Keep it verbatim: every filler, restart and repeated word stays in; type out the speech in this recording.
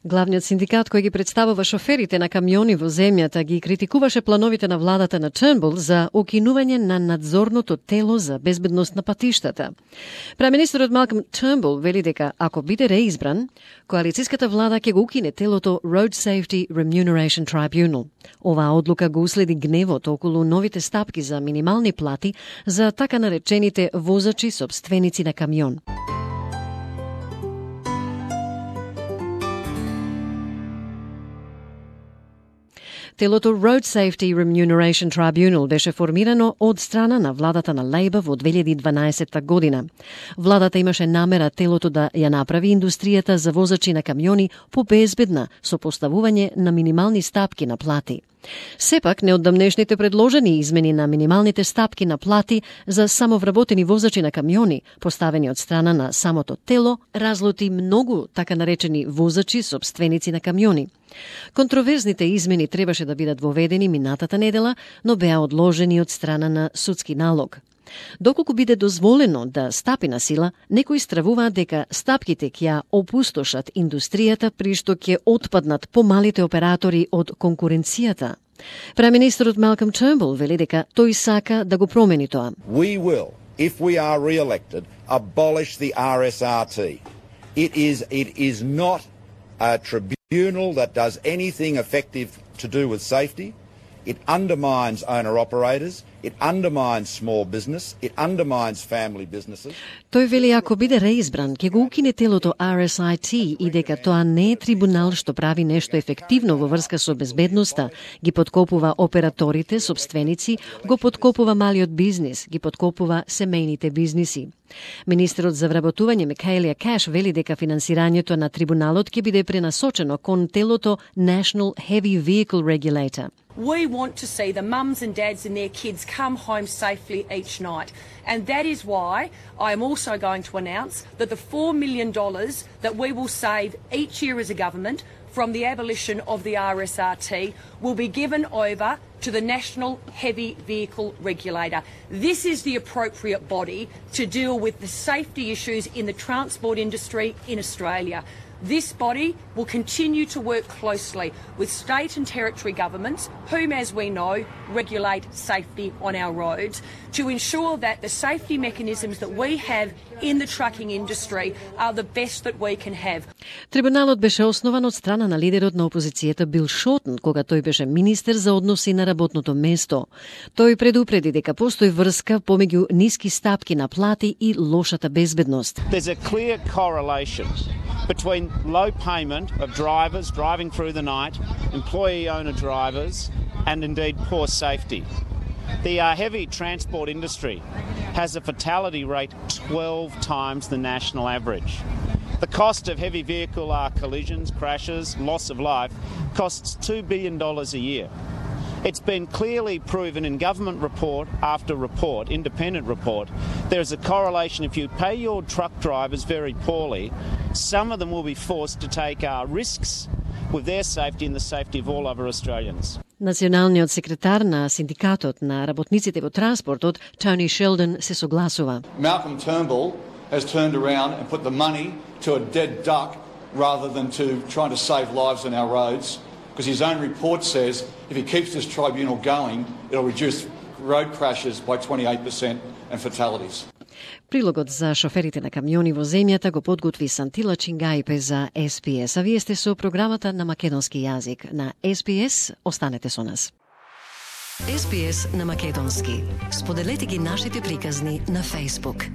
Главниот синдикат кој ги представува шоферите на камиони во земјата ги критикуваше плановите на владата на Turnbull за укинување на надзорното тело за безбедност на патиштата. Премиерот Малком Turnbull вели дека ако биде реизбран, коалицијската влада ќе го укине телото Road Safety Remuneration Tribunal. Оваа одлука го уследи гневот околу новите стапки за минимални плати за така наречените возачи сопственици на камион. Телото Road Safety Remuneration Tribunal беше формирано од страна на владата на Лейбор во две илјади и дванаесетта година. Владата имаше намера телото да ја направи индустријата за возачи на камиони побезбедна со поставување на минимални стапки на плати. Сепак, неодамнешните предложени измени на минималните стапки на плати за самовработени возачи на камиони, поставени од страна на самото тело, разлути многу така наречени возачи сопственици на камиони. Контроверзните измени требаше да бидат воведени минатата недела, но беа одложени од страна на судски налог. Доколку биде дозволено да стапи на сила, некои стравуваат дека стапките ќе ја опустошат индустријата, при што ќе отпаднат помалите оператори од конкуренцијата. Премиерот Малком Turnbull вели дека тој сака да го промени тоа. We will, if we are re-elected, abolish the R S R T. It is it is not a tribunal that does anything effective to do with safety. It undermines owner-operators, it undermines small business, it undermines family businesses. Тој вели ако биде реизбран, ќе го укине телото R S I T и дека тоа не е трибунал што прави нешто ефективно во врска со безбедноста, ги подкопува операторите, сопственици, го подкопува малиот бизнис, ги подкопува семејните бизниси. Министерот за вработување Микаелија Каш вели дека финансирањето на трибуналот ќе биде пренасочено кон телото National Heavy Vehicle Regulator. We want to see the mums and dads and their kids come home safely each night. And that is why I am also going to announce that the four million dollars that we will save each year as a government from the abolition of the R S R T will be given over to the National Heavy Vehicle Regulator. This is the appropriate body to deal with the safety issues in the transport industry in Australia. This body will continue to work closely with state and territory governments, whom, as we know, regulate safety on our roads, to ensure that the safety mechanisms that we have in the trucking industry are the best that we can have. Трибуналот беше основан од страна на лидерот на опозицијата Бил Шортон, кога тој беше министер за односи на работното место. Тој предупреди дека постои врска помеѓу ниски стапки на плати и лошата безбедност. There's a clear correlation between low payment of drivers driving through the night, employee-owner drivers, and indeed poor safety. The uh, heavy transport industry has a fatality rate twelve times the national average. The cost of heavy vehicle uh, collisions, crashes, loss of life costs two billion dollars a year. It's been clearly proven in government report after report, independent report, there is a correlation. If you pay your truck drivers very poorly, some of them will be forced to take uh, risks with their safety and the safety of all other Australians. Националниот секретар на синдикатот на работниците во транспортот, Тони Шелдон, се согласува. Malcolm Turnbull has turned around and put the money to a dead duck rather than to trying to save lives on our roads, because his own report says if he keeps this tribunal going, it'll reduce road crashes by twenty-eight percent and fatalities. Прилогот за шоферите на камиони во земјата го подготви Сантила Чингајпе за С Б С. А вие сте со програмата на македонски јазик на С Б С. Останете со нас. С Б С на македонски. Споделете ги нашите приказни на Facebook.